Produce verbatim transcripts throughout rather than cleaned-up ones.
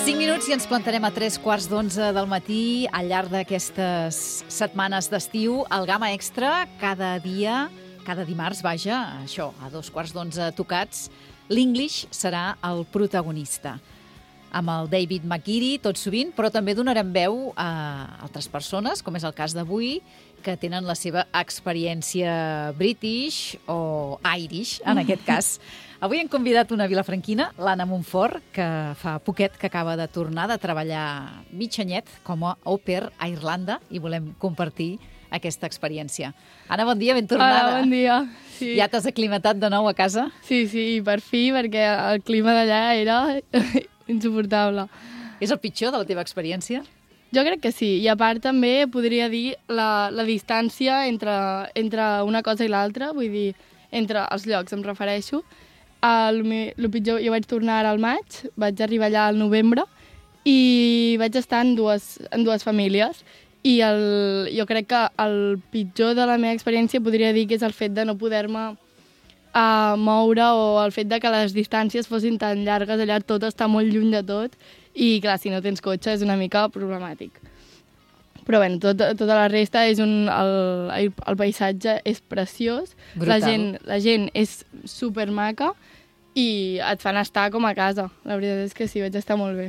cinc minuts i ens plantarem a tres quarts d'onze del matí al llarg d'aquestes setmanes d'estiu. El Gamma Extra, cada dia, cada dimarts, vaja, això, a dos quarts d'onze tocats, l'English serà el protagonista. Amb el David McGeary, tot sovint, però també donarem veu a altres persones, com és el cas d'avui, que tenen la seva experiència British o Irish, en aquest cas. Avui hem convidat una vilafranquina, l'Anna Montfort, que fa poquet que acaba de tornar de treballar mig anyet com a au pair a Irlanda i volem compartir aquesta experiència. Anna, bon dia, ben tornada. Hola, bon dia. Sí. Ja t'has aclimatat de nou a casa? Sí, sí, per fi, perquè el clima d'allà era insuportable. És el pitjor de la teva experiència? Jo crec que sí, i a part també podria dir la, la distància entre, entre una cosa i l'altra, vull dir, entre els llocs, em refereixo. El, el pitjor, jo vaig tornar ara al maig, vaig arribar allà al novembre i vaig estar en dues, en dues famílies i el, jo crec que el pitjor de la meva experiència podria dir que és el fet de no poder-me uh, moure o el fet de que les distàncies fossin tan llargues, allà tot està molt lluny de tot i clar, si no tens cotxe és una mica problemàtic. Però bé, tot, tota la resta és un... El, el paisatge és preciós, la gent, la gent és supermaca i et fan estar com a casa. La veritat és que sí, vaig estar molt bé.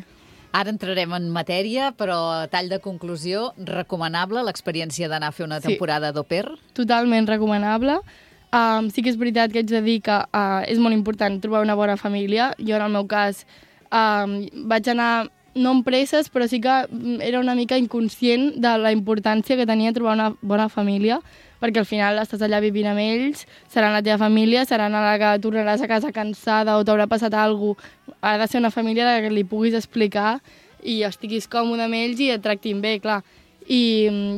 Ara entrarem en matèria, però a tall de conclusió, recomanable l'experiència d'anar a fer una temporada sí, d'au pair? Totalment recomanable. Um, sí que és veritat que haig de dir que uh, és molt important trobar una bona família. Jo, en el meu cas, um, vaig anar... no amb presses, però sí que era una mica inconscient de la importància que tenia trobar una bona família, perquè al final estàs allà vivint amb ells, seran la teva família, seran a la que tornaràs a casa cansada o t'haurà passat alguna cosa. Ha de ser una família que li puguis explicar i estiguis còmode amb ells i et tractin bé, clar. I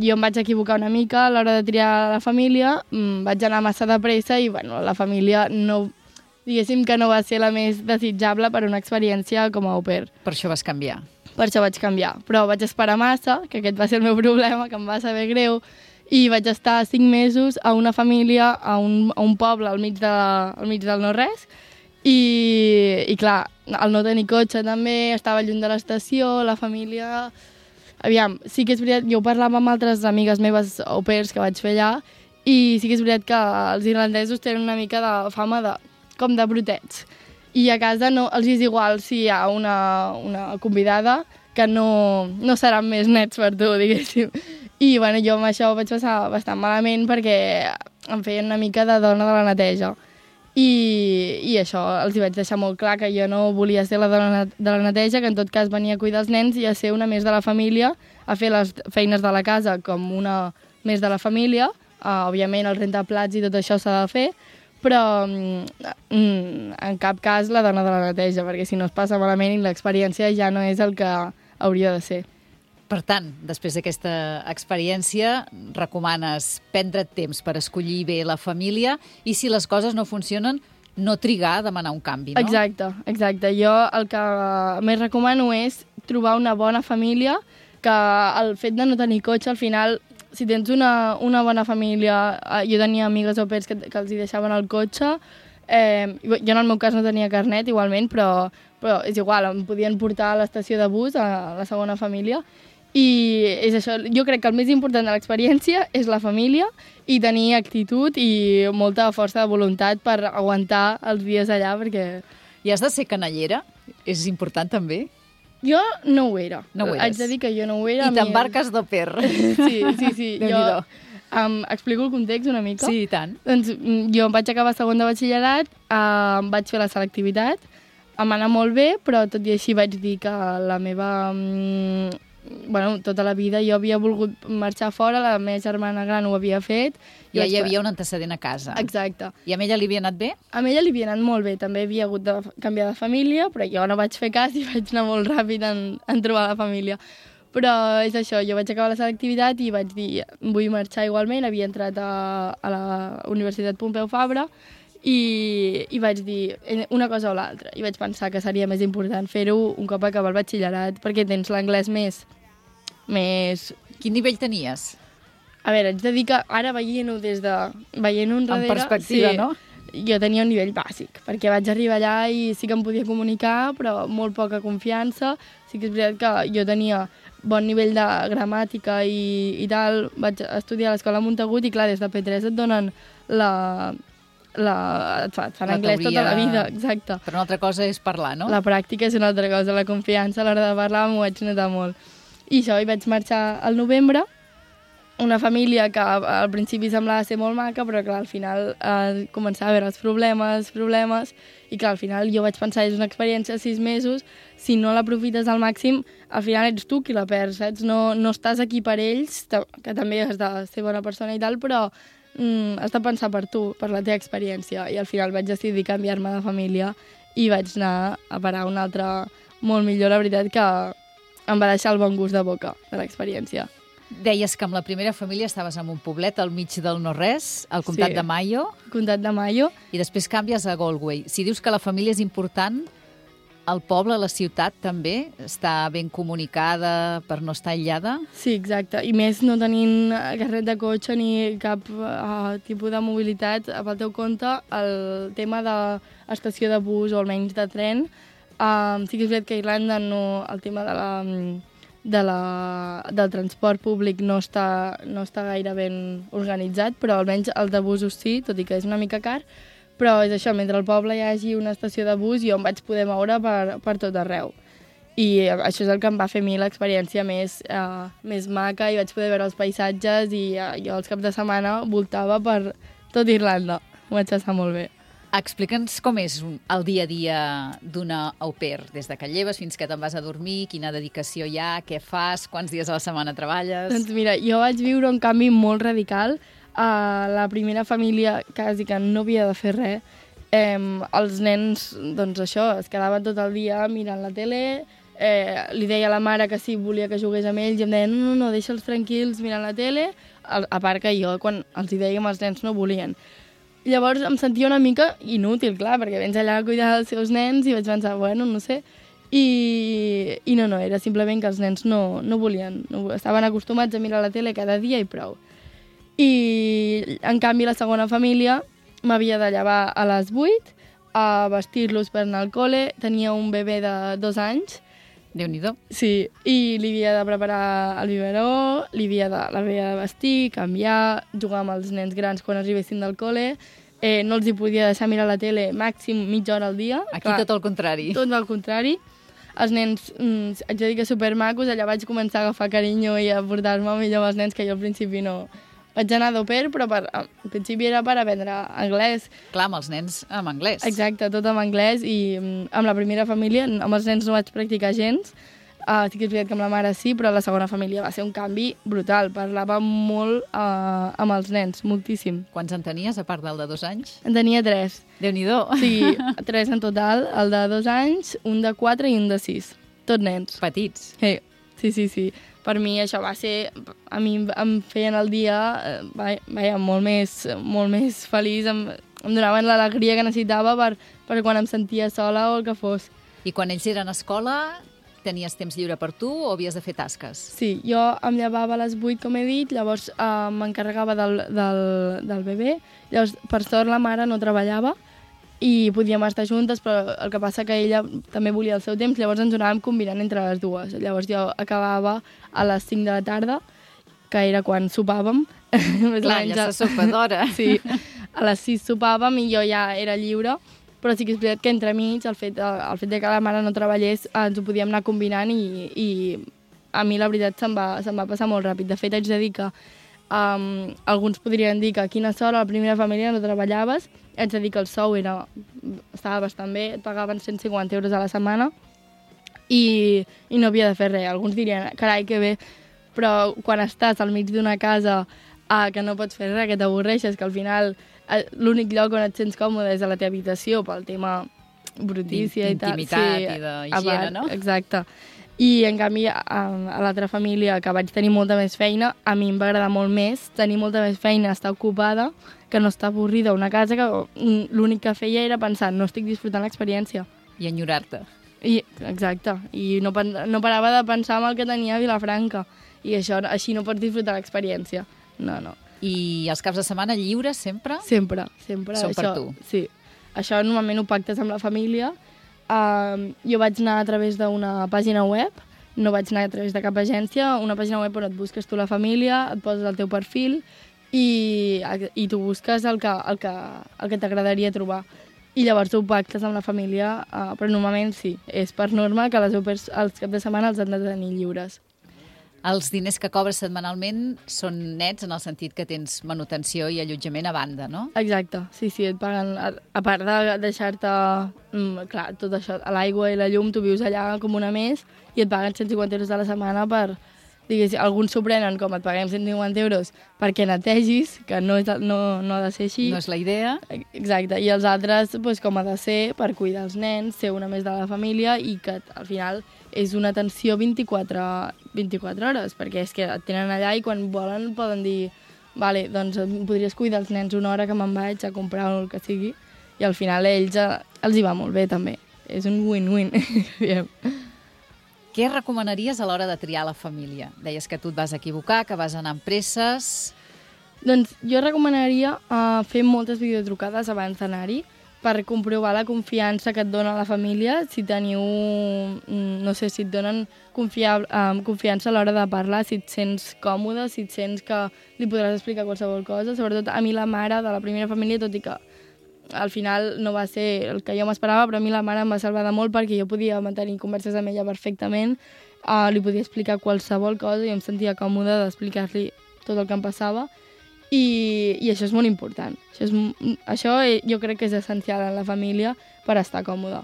jo em vaig equivocar una mica a l'hora de triar la família, vaig anar massa de pressa i bueno, la família no... diguéssim que no va ser la més desitjable per una experiència com a au pair. Per això vas canviar. Per això vaig canviar, però vaig esperar massa, que aquest va ser el meu problema, que em va saber greu, i vaig estar cinc mesos a una família, a un, a un poble al mig, de, al mig del no-res, i, i clar, el no tenir cotxe també, estava lluny de l'estació, la família... Aviam, sí que és veritat, jo parlava amb altres amigues meves au pairs que vaig fer allà, i sí que és veritat que els irlandesos tenen una mica de fama de com de brutets. I a casa no, els és igual si hi ha una, una convidada que no, no seran més nets per tu, diguéssim. I bueno, jo amb això ho vaig passar bastant malament perquè em feien una mica de dona de la neteja. I, i això, els hi vaig deixar molt clar que jo no volia ser la dona de la neteja, que en tot cas venia a cuidar els nens i a ser una més de la família, a fer les feines de la casa com una més de la família. Uh, òbviament el rentaplats i tot això s'ha de fer, però mm, en cap cas la dona de la neteja, perquè si no es passa malament i l'experiència ja no és el que hauria de ser. Per tant, després d'aquesta experiència, recomanes prendre temps per escollir bé la família i si les coses no funcionen, no trigar a demanar un canvi, no? Exacte, exacte. Jo el que més recomano és trobar una bona família, que el fet de no tenir cotxe al final... Si tens una, una bona família, jo tenia amigues au pairs que, que els hi deixaven el cotxe, eh, jo en el meu cas no tenia carnet igualment, però, però és igual, em podien portar a l'estació de bus, a la segona família, i és això, jo crec que el més important de l'experiència és la família i tenir actitud i molta força de voluntat per aguantar els dies allà, perquè... I has de ser canallera? És important també? Jo no ho era. No ho eres. Haig de dir que jo no ho era. I t'embarques d'au pair. Sí, sí, sí. Jo um, explico el context una mica. Sí, i tant. Doncs jo em vaig acabar segon de batxillerat, uh, vaig fer la selectivitat, em va anar molt bé, però tot i així vaig dir que la meva... Um, bueno, tota la vida jo havia volgut marxar fora, la meva germana gran ho havia fet. Ja hi havia un antecedent a casa. Exacte. I a ella li havia anat bé? A ella li havia anat molt bé, també havia hagut de canviar de família, però jo no vaig fer cas i vaig anar molt ràpid en, en trobar la família. Però és això, jo vaig acabar la selectivitat i vaig dir, vull marxar igualment, havia entrat a, a la Universitat Pompeu Fabra, i, i vaig dir una cosa o l'altra. I vaig pensar que seria més important fer-ho un cop acabar el batxillerat, perquè tens l'anglès més, més... Quin nivell tenies? A veure, haig de dir que ara veient-ho des de... veient-ho enrere... En perspectiva, sí, no? jo tenia un nivell bàsic, perquè vaig arribar allà i sí que em podia comunicar, però molt poca confiança. Sí que és veritat que jo tenia bon nivell de gramàtica i, i tal. Vaig estudiar a l'escola Montagut i, clar, des de P tres et donen la... la et, fa, et fan La anglès teoria... tota la vida, exacte. Però una altra cosa és parlar, no? La pràctica és una altra cosa, la confiança a l'hora de parlar m'ho vaig notar molt. I això, hi vaig marxar al novembre, una família que al principi semblava ser molt maca, però clar, al final eh, començava a veure els problemes, problemes, i clar, al final jo vaig pensar, és una experiència de sis mesos, si no l'aprofites al màxim, al final ets tu qui la perds, saps? No, no estàs aquí per ells, que també has de ser bona persona i tal, però mm, has de pensar per tu, per la teva experiència, i al final vaig decidir canviar-me de família i vaig anar a parar una altra molt millor, la veritat, que em va deixar el bon gust de boca de l'experiència. Deies que amb la primera família estaves en un poblet al mig del no-res, al comtat Sí. de Mayo, Comtat de Mayo. i després canvies a Galway. Si dius que la família és important, el poble, la ciutat també està ben comunicada per no estar aïllada? Sí, exacte. I més no tenint carnet de cotxe ni cap uh, tipus de mobilitat. Pel teu compte, el tema de estació de bus o almenys de tren, uh, sí que és veritat que a Irlanda no, el tema de la, de la, del transport públic no està, no està gaire ben organitzat, però almenys el de busos sí, tot i que és una mica car. Però és això, mentre al poble hi hagi una estació de bus, jo em vaig poder moure per, per tot arreu. I això és el que em va fer a mi l'experiència més, uh, més maca, i vaig poder veure els paisatges, i uh, jo els caps de setmana voltava per tot Irlanda. Ho vaig passar molt bé. Explica'ns com és el dia a dia d'una au pair, des de que lleves fins que te'n vas a dormir, quina dedicació hi ha, què fas, quants dies a la setmana treballes... Doncs mira, jo vaig viure un canvi molt radical. A la primera família quasi que no havia de fer res. Eh, els nens, doncs això, es quedaven tot el dia mirant la tele, eh, li deia a la mare que sí, volia que jugués amb ells, i em deia, no, no, no, deixa'ls tranquils mirant la tele, a, a part que jo, quan els hi dèiem, els nens no volien. Llavors em sentia una mica inútil, clar, perquè vens allà a cuidar dels seus nens i vaig pensar, bueno, no sé... I, i no, no, era simplement que els nens no, no volien, no, estaven acostumats a mirar la tele cada dia i prou. I, en canvi, la segona família m'havia de llevar a les vuit, a vestir-los per anar al col·le, tenia un bebè de dos anys. Déu-n'hi-do. Sí, i li havia de preparar el biberó, li havia de, l'havia de vestir, canviar, jugar amb els nens grans quan arribessin del col·le, eh, no els hi podia deixar mirar la tele màxim mitja hora al dia. Aquí Clar, tot el contrari. Tot el contrari. Els nens, mm, haig de dir que supermacos, allà vaig començar a agafar carinyo i a portar-me millor amb els nens, que jo al principi no... Vaig anar d'au pair, però per, al principi era per aprendre anglès. Clar, amb els nens amb anglès. Exacte, tot en anglès, i mm, amb la primera família, amb els nens no vaig practicar gens. Uh, sí que és veritat que amb la mare sí, però la segona família va ser un canvi brutal. Parlava molt uh, amb els nens, moltíssim. Quants en tenies, a part del de dos anys? En tenia tres. Déu-n'hi-do. Sí, tres en total, el de dos anys, un de quatre i un de sis. Tot nens. Petits. Sí, sí, sí, sí. Per mi això va ser... A mi em feien el dia eh, vaja, molt, més, molt més feliç, em, em donaven l'alegria que necessitava per, per quan em sentia sola o el que fos. I quan ells eren a escola, tenies temps lliure per tu o havies de fer tasques? Sí, jo em llevava a les vuit, com he dit, llavors eh, m'encarregava del, del, del bebè. Llavors, per sort, la mare no treballava i podíem estar juntes, però el que passa que ella també volia el seu temps, llavors ens anàvem combinant entre les dues. Llavors jo acabava a les cinc de la tarda, que era quan sopàvem. Clar, ja se sopa d'hora. Sí, a les sis sopàvem i jo ja era lliure, però sí que és veritat que entremig, el fet, el fet de que la mare no treballés, ens ho podíem anar combinant, i, i a mi la veritat se'm va, se'm va passar molt ràpid. De fet, haig de dir que um, alguns podrien dir que a quina sort a la primera família no treballaves. Haig de dir que el sou era, estava bastant bé, et pagaven cent cinquanta euros a la setmana i, i no havia de fer res. Alguns dirien, carai, que bé, però quan estàs al mig d'una casa ah, que no pots fer res, que t'avorreixes, que al final eh, l'únic lloc on et sents còmode és a la teva habitació pel tema brutícia i tal. D'intimitat sí, i d'higiene, no? Exacte. I, en canvi, a, a l'altra família, que vaig tenir molta més feina, a mi em va agradar molt més tenir molta més feina, estar ocupada, que no estar avorrida a una casa que l'únic que feia era pensar, no estic disfrutant l'experiència. I enyorar-te. I, exacte. I no, no parava de pensar en el que tenia a Vilafranca. I això, així no pots disfrutar l'experiència. No, no. I els caps de setmana lliures sempre? Sempre, sempre. Són per això, tu? Sí. Això normalment ho pactes amb la família. Uh, jo vaig anar a través d'una pàgina web, no vaig anar a través de cap agència, una pàgina web on et busques tu la família, et poses el teu perfil i, i tu busques el que, el que, el que t'agradaria trobar. I llavors ho pactes amb la família, uh, però normalment sí, és per norma que les opers els caps de setmana els han de tenir lliures. Els diners que cobres setmanalment són nets en el sentit que tens manutenció i allotjament a banda, no? Exacte, sí, sí, et paguen, a, a part de deixar-te, mm, clar, tot això, l'aigua i la llum, tu vius allà com una més i et paguen cent cinquanta euros a la setmana per, diguéssim, alguns s'ho prenen com et paguem cent cinquanta euros perquè netegis, que no, és, no, no ha de ser així. No és la idea. Exacte, i els altres, doncs, com ha de ser, per cuidar els nens, ser una més de la família i que al final és una atenció vint-i-quatre hores, perquè és que et tenen allà i quan volen poden dir vale, doncs podries cuidar els nens una hora que me'n vaig a comprar el que sigui, i al final a ells els hi va molt bé també. És un win-win. Què recomanaries a l'hora de triar la família? Deies que tu et vas equivocar, que vas anar amb presses. Doncs jo recomanaria uh, fer moltes videotrucades abans d'anar-hi, per comprovar la confiança que et dona la família, si teniu, no sé, si et donen confiar, um, confiança a l'hora de parlar, si et sents còmode, si et sents que li podràs explicar qualsevol cosa. Sobretot a mi la mare de la primera família, tot i que al final no va ser el que jo m'esperava, però a mi la mare em va salvar de molt perquè jo podia mantenir converses amb ella perfectament, uh, li podia explicar qualsevol cosa i em sentia còmode d'explicar-li tot el que em passava. I, i això és molt important. Això, és, això jo crec que és essencial en la família per estar còmode.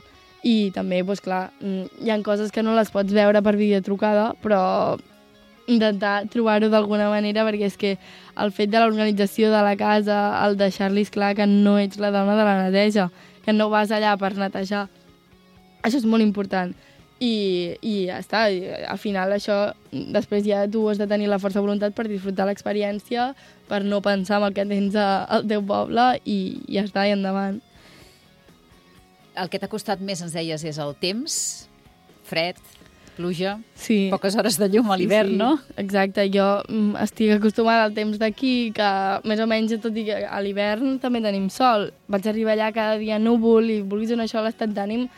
I també, doncs clar, hi ha coses que no les pots veure per videotrucada, però intentar trobar-ho d'alguna manera, perquè és que el fet de l'organització de la casa, el deixar-los clar que no ets la dona de la neteja, que no vas allà per netejar, això és molt important. I, i ja està, I, al final això, després ja tu has de tenir la força de voluntat per disfrutar l'experiència, per no pensar en el que tens al teu poble i ja està, i endavant. El que t'ha costat més, ens deies, és el temps, fred, pluja, sí. Poques hores de llum a l'hivern, sí, sí. No? Exacte, jo estic acostumada al temps d'aquí, que més o menys, tot i que a l'hivern també tenim sol. Vaig arribar allà cada dia núvol i vulguis o no, això l'estat d'ànim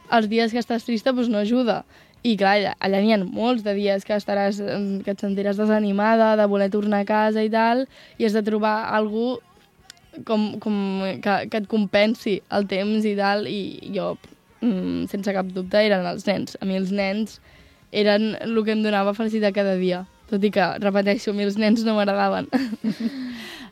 els dies que estàs trista doncs no ajuda. I clar, allà n'hi ha molts de dies que estaràs, que et sentiràs desanimada, de voler tornar a casa i tal, i has de trobar algú com, com que, que et compensi el temps i tal, i jo, sense cap dubte, eren els nens. A mi els nens eren el que em donava felicitat cada dia, tot i que, repeteixo, a mi els nens no m'agradaven.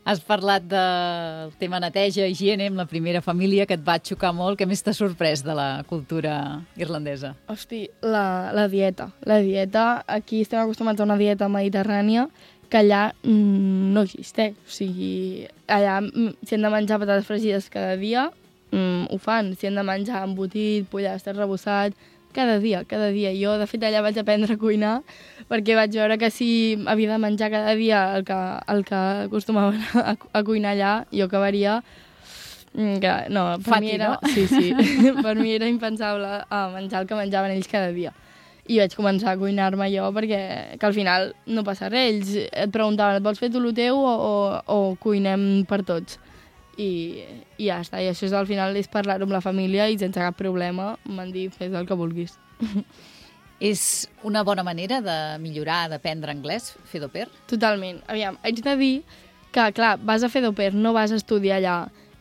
Has parlat del tema neteja, higiene, amb la primera família, que et va xocar molt. Què més t'ha sorprès de la cultura irlandesa? Hosti, la, la dieta. La dieta, aquí estem acostumats a una dieta mediterrània que allà mm, no existeix. O sigui, allà si han de menjar patates fregides cada dia, mm, ho fan. Si han de menjar embotit, pollastre rebossat, cada dia, cada dia. Jo, de fet, allà vaig aprendre a cuinar perquè vaig veure que si havia de menjar cada dia el que, el que acostumaven a, a cuinar allà, jo acabaria... Que, no, per Fati, mi era, no? sí, sí, per mi era impensable a menjar el que menjaven ells cada dia. I vaig començar a cuinar-me jo perquè que al final no passa res. Ells et preguntaven, et vols fer tu el teu o, o, o cuinem per tots? I, i ja està, i això és, al final és parlar-ho amb la família i sense cap problema m'han dit fes el que vulguis. És una bona manera de millorar, d'aprendre anglès, fer d'au pair? Totalment. Aviam, haig de dir que, clar, vas a fer d'au pair, no vas a estudiar allà,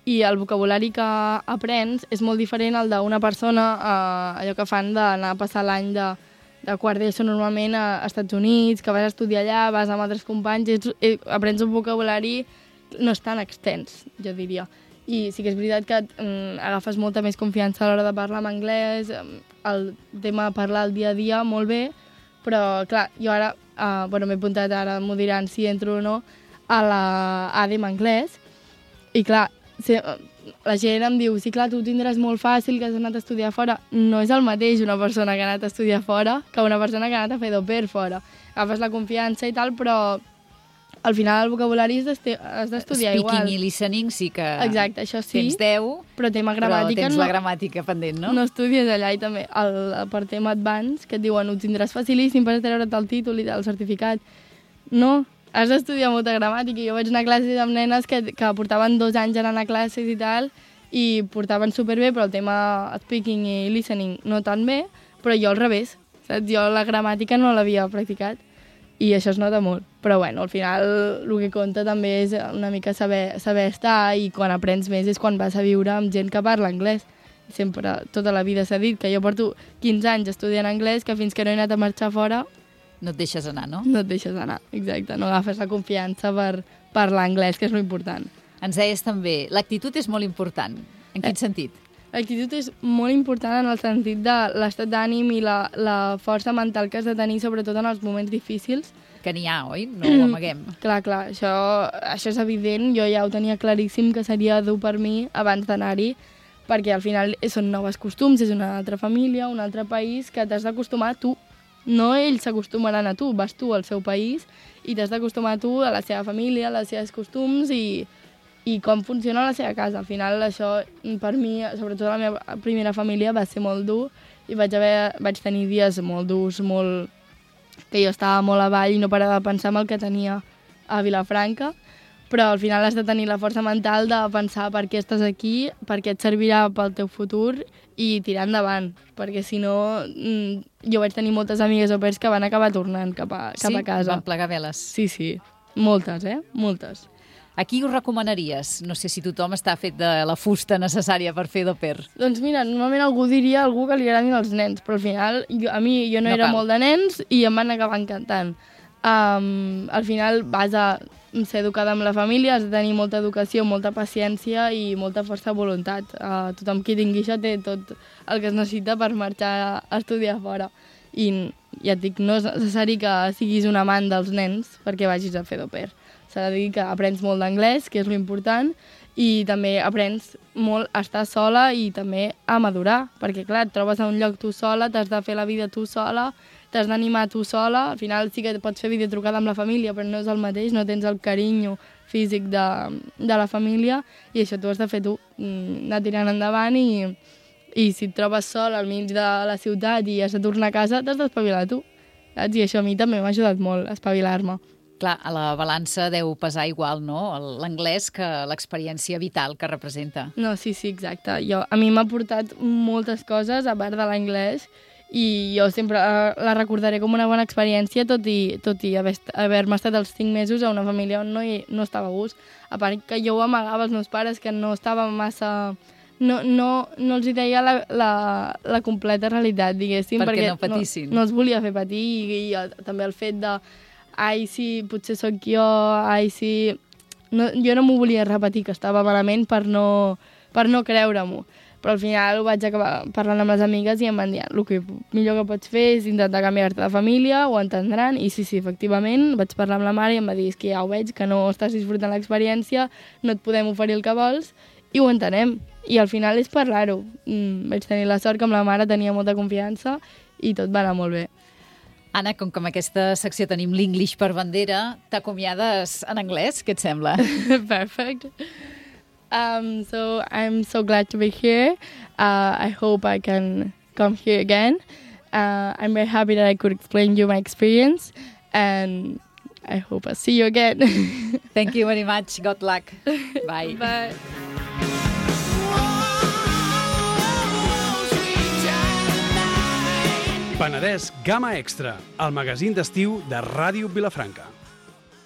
i el vocabulari que aprens és molt diferent al d'una persona, eh, allò que fan d'anar a passar l'any de, de quart d'ESO normalment a, a Estats Units, que vas a estudiar allà, vas amb altres companys, ets, eh, aprens un vocabulari no és tan extens, jo diria. I sí que és veritat que mm, agafes molta més confiança a l'hora de parlar en anglès, el tema de parlar el dia a dia, molt bé, però, clar, jo ara, uh, bueno, m'he apuntat ara, m'ho diran si entro o no, a la A D E M anglès, i clar, si, la gent em diu, sí, clar, tu ho tindràs molt fàcil, que has anat a estudiar fora. No és el mateix una persona que ha anat a estudiar fora que una persona que ha anat a fer d'au pair fora. Agafes la confiança i tal, però al final el vocabulari has d'estudiar igual. Speaking i listening sí que exacte, això sí, tens deu, però tema gramàtica però tens no, la gramàtica pendent, no? No estudies allà, i també el, per tema advance, que et diuen ho tindràs facilíssim per treure't el títol i el certificat. No, has d'estudiar molta gramàtica. Jo vaig anar a classes amb nenes que, que portaven dos anys anant a classes i tal, i portaven superbé, però el tema speaking i listening no tan bé, però jo al revés, saps? Jo la gramàtica no l'havia practicat i això es nota molt. Però bueno, al final el que compta també és una mica saber, saber estar, i quan aprens més és quan vas a viure amb gent que parla anglès. Sempre, tota la vida s'ha dit que jo porto quinze anys estudiant anglès, que fins que no he anat a marxar fora no et deixes anar, no? No et deixes anar, exacte. No agafes la confiança per parlar anglès, que és l'important. Ens deies també, l'actitud és molt important. En quin eh, sentit? L'actitud és molt important en el sentit de l'estat d'ànim i la, la força mental que has de tenir, sobretot en els moments difícils. Que n'hi ha, oi? No ho amaguem. Clar, clar, això, això és evident. Jo ja ho tenia claríssim que seria dur per mi abans d'anar-hi, perquè al final són noves costums, és una altra família, un altre país que t'has d'acostumar tu. No ells s'acostumaran a tu, vas tu al seu país i t'has d'acostumar tu a la seva família, a les seves costums i, i com funciona la seva casa. Al final això, per mi, sobretot la meva primera família, va ser molt dur i vaig, haver, vaig tenir dies molt durs, molt... que jo estava molt avall i no parava de pensar en el que tenia a Vilafranca, però al final has de tenir la força mental de pensar per què estàs aquí, per què et servirà pel teu futur i tirar endavant, perquè si no jo vaig tenir moltes amigues au pairs que van acabar tornant cap a, cap sí? a casa. Sí? Van plegar veles? Sí, sí, moltes, eh? Moltes. A qui ho recomanaries? No sé si tothom està fet de la fusta necessària per fer d'au pair. Doncs mira, normalment algú diria a algú que li agradin els nens, però al final jo, a mi jo no, no era cal. molt de nens i em van acabar encantant. Um, al final vas a ser educada amb la família, has de tenir molta educació, molta paciència i molta força de voluntat. Uh, tothom qui tingui això té tot el que es necessita per marxar a estudiar fora. I ja et dic, no és necessari que siguis un amant dels nens perquè vagis a fer d'au pair. S'ha de dir que aprens molt d'anglès, que és l'important, i també aprens molt a estar sola i també a madurar, perquè clar, et trobes a un lloc tu sola, t'has de fer la vida tu sola, t'has d'animar tu sola, al final sí que pots fer videotrucada amb la família, però no és el mateix, no tens el carinyo físic de, de la família, i això tu has de fer tu, anar tirant endavant, i, i si et trobes sol al mig de la ciutat i has de tornar a casa, t'has d'espavilar tu, saps? I això a mi també m'ha ajudat molt, a espavilar-me. Clar, a la balança deu pesar igual, no?, l'anglès que l'experiència vital que representa. No, sí, sí, exacte. Jo, a mi m'ha portat moltes coses, a part de l'anglès, i jo sempre la recordaré com una bona experiència, tot i, tot i haver-me estat els cinc mesos a una família on no, hi, no estava a gust. A part que jo ho amagava als meus pares, que no estava massa... No, no, no els hi deia la, la, la completa realitat, diguéssim, perquè, perquè no patissin. No, no els volia fer patir, i, i també el fet de ai, sí, potser sóc jo, ai, sí... No, jo no m'ho volia repetir, que estava malament per no, per no creure-m'ho. Però al final ho vaig acabar parlant amb les amigues i em van dir el que millor que pots fer és intentar canviar-te de família, ho entendran, i sí, sí, efectivament, vaig parlar amb la mare i em va dir, és que ja ho veig, que no estàs disfrutant l'experiència, no et podem oferir el que vols, i ho entenem. I al final és parlar-ho. Mm, vaig tenir la sort que amb la mare tenia molta confiança i tot va anar molt bé. Anna, com que en aquesta secció tenim l'English per bandera, t'acomiades en anglès? Què et sembla? Perfect. Um, so I'm so glad to be here. Uh, I hope I can come here again. Uh, I'm very happy that I could explain you my experience, and I hope I'll see you again. Thank you very much. Good luck. Bye. Bye. Penedès Gamma Extra, el magazín d'estiu de Ràdio Vilafranca.